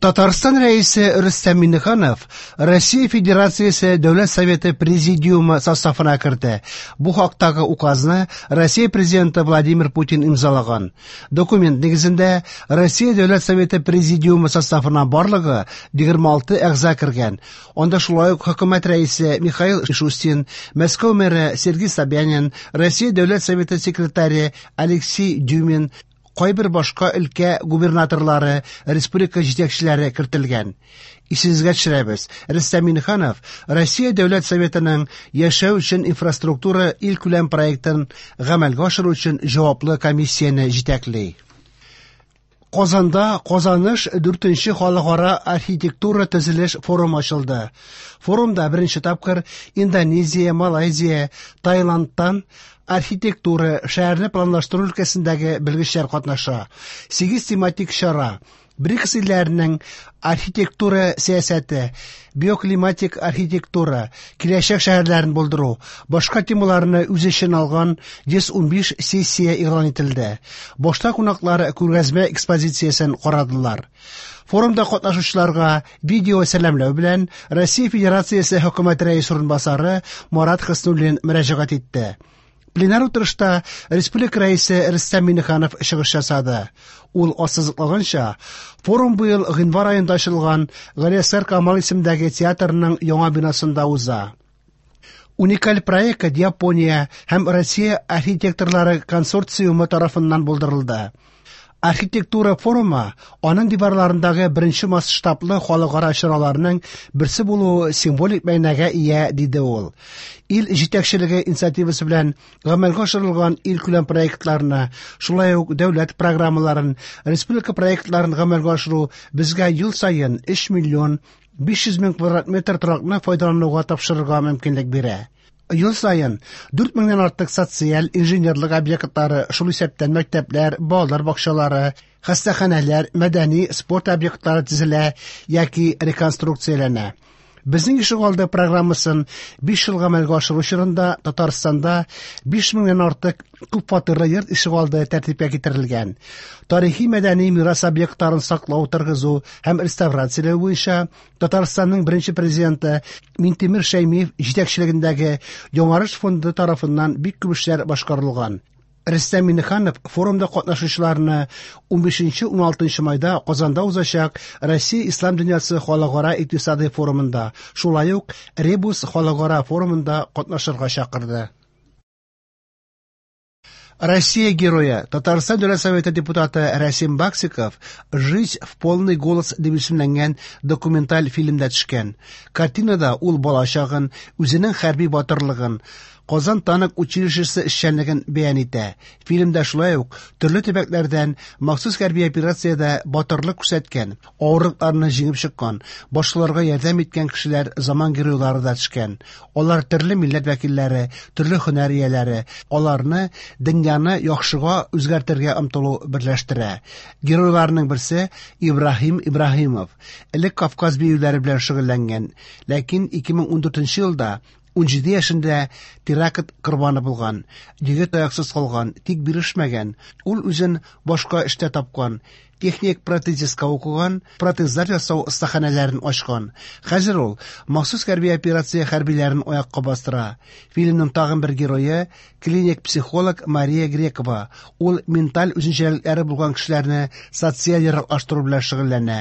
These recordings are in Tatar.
Татарстан Рәисе Рөстәм Миңнеханов Россия Федерациясе Дәүләт Советы Президиумы составына керде. Бу хактагы указны Россия Президенты Владимир Путин имзалаган. Документ нигезендә Россия Дәүләт Советы Президиумы составына барлыгы 26 әгъза кергән. Анда шулай ук хөкүмәт рәисе Михаил Мишустин, Мәскәү мэры Сергей Собянин, Россия Дәүләт Советы секретаре Алексей Дюмин, кайбер башка өлкә губернаторлары, республика җитәкчеләре кертелгән. Исегезгә төшерәбез, Рөстәм Миңнеханов Россия Дәүләт Советының Яшәү өчен инфраструктура илкүләм проектын гамәлгә ашыру өчен җаваплы комиссияне җитәкли. Казанда Казаныш 4нче халыкара архитектура төзелеш форумы ачылды. Форумда беренче тапкыр Индонезия, Малайзия, Таиландтан архитектура, шәһәрне планлаштыру өлкәсендәге белгечләр катнаша. 8 тематик чара БРИКС илләренең архитектура сәясәте, биоклиматик архитектура, киләчәк шәһәрләрен булдыру, башка темаларны үз эченә алган 115 сессия игълан ителде. Башта кунаклар күргәзмә экспозициясен карадылар. Форумда катнашучыларга видео сәламләү белән Россия Федерациясе Хөкүмәт Рәисе урынбасары Марат Хөснуллин мөрәҗәгать итте. Пленар утырышта республика рәисе Рөстәм Миңнеханов чыгыш ясады. Ул ассызыклаганча, форум быел гыйнвар аенда ачылган Галиәсгар Камал исемендәге театрның яңа бинасында уза. Уникаль проект Япония һәм Россия архитекторлары консорциумы тарафыннан булдырылды. Архитектура форумы аның диварларындагы беренче масштаблы халыкара чараларның берсе булуы символик мәгънәгә ия, диде ул. Ил җитәкчелеге инициативасы белән гамәлгә ашырылган илкүләм проектларны, шулай ук дәүләт программаларын, республика проектларын гамәлгә ашыру безгә ел саен 3 миллион 500 мең квадрат метр торакны файдалануга тапшырырга мөмкинлек бирә. Ел саен 4 меңнән артык социаль, инженерлык объектлары, шул исәптән мәктәпләр, балалар бакчалары, хастаханәләр, мәдәни, спорт объектлары төзелә яки реконструкцияләнә. Безнең ишегалды программасын 5 ел гамәлгә ашыру чорында Татарстанда 5 меңнән артык күп фатирлы йорт ишегалды тәртипкә китерелгән. Тарихи мәдәни мирас объектларын саклау, торгызу һәм реставрацияләү буенча Татарстанның беренче президенты Минтимер Шәймиев җитәкчелегендәге Яңарыш фонды тарафыннан бик күп эшләр башкарылган. Рөстәм Миңнеханов форумда катнашучыларны 15-16 майда Казанда узачак Россия Ислам дөньясы халыкара икътисадый форумында, шулай ук Ребус халыкара форумында катнашырга чакырды. Россия герое, Татарстан Дәүләт Советы депутаты Рәсим Баксиков «Жизнь в полный голос» дип исемләнгән документаль фильмда төшкән. Картинада ул балачагын, үзенең хәрби батырлыгын, Казан танк училищесы эшчәнлеген бәян итә. Фильмда шулай ук төрле төбәкләрдән махсус хәрби операциядә батырлык күрсәткән, авырлыкларны җиңеп чыккан, башкаларга ярдәм иткән кешеләр заман геройлары да төшкән. Алар төрле милләт вәкилләре, төрле һөнәр ияләре. Аларны дөньяны яхшыга үзгәртергә омтылу берләштерә. Геройларның берсе Ибраһим Ибраһимов. Элек Кавказ биюләре белән шөгыльләнгән, ләкин 2014 елда 17 яшендә теракт корбаны булган. Егет аяксыз калган, тик бирешмәгән. Ул үзен башка эштә тапкан. Техник протезистка укыган, протезлар ясау остаханәләрен ачкан. Хәзер ул махсус хәрби операция хәрбиләрен аякка бастыра. Фильмның тагын бер герое клиник психолог Мария Грекова. Ул менталь үзенчәлекләре булган кешеләрне социаль яраклаштыру белән шөгыльләнә.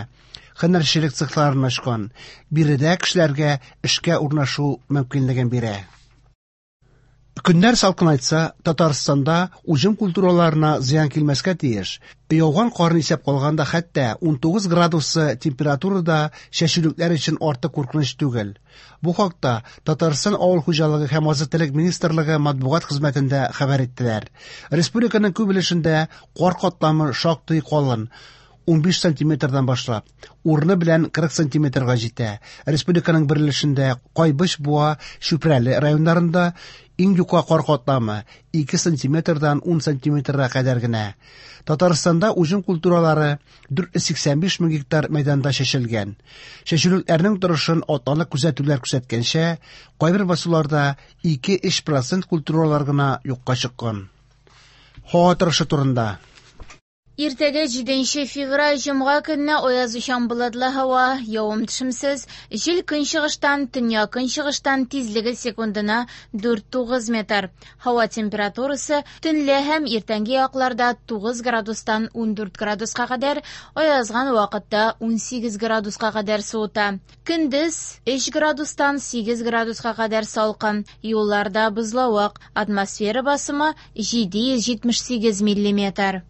Һөнәрчелек цехларын ачкан. Биредә кешеләргә эшкә урнашу мөмкинлеген бирә. Көннәр салкынайтса, Татарстанда уҗым культураларына зыян килмәскә тиеш. Яуган карны исәп калганда хәтта 19 градусы температурада чәчүлекләр өчен артык куркыныч түгел. Бу хакта Татарстан авыл хуҗалыгы һәм азык-төлек министрлыгы матбугат хезмәтендә хәбәр иттеләр. Республиканың күп өлешендә кар катламы шактый калын. 15 сантиметрдан башлап, урыны белән 40 сантиметрга җитә. Республиканың бер өлешендә Кайбыч, Буа, Чүпрәле районнарында иң юка кар катламы 2 сантиметрдан 10 сантиметрга кадәр генә. Татарстанда уҗым культуралары 485 мең гектар мәйданда чәчелгән. Чәчүлекләрнең торышын атналык күзәтүләр күрсәткәнчә, кайбер басуларда 2-3% культуралар гына юкка чыккан. Һава торышы турында. Иртәгә 7 февраль җомга көнне аязучан болытлы һава, явым-төшемсез, җил көнчыгыштан, төньяк-көнчыгыштан, тизлеге секундына 4-9 метр. Һава температурасы төнлә һәм иртәнге якларда 9 градустан 14 градуска кадәр, аязган вакытта 18 градуска кадәр суыта. Көндез 3 градустан 8 градуска кадәр салкын, юлларда бозлавык, атмосфера басымы 778 миллиметр.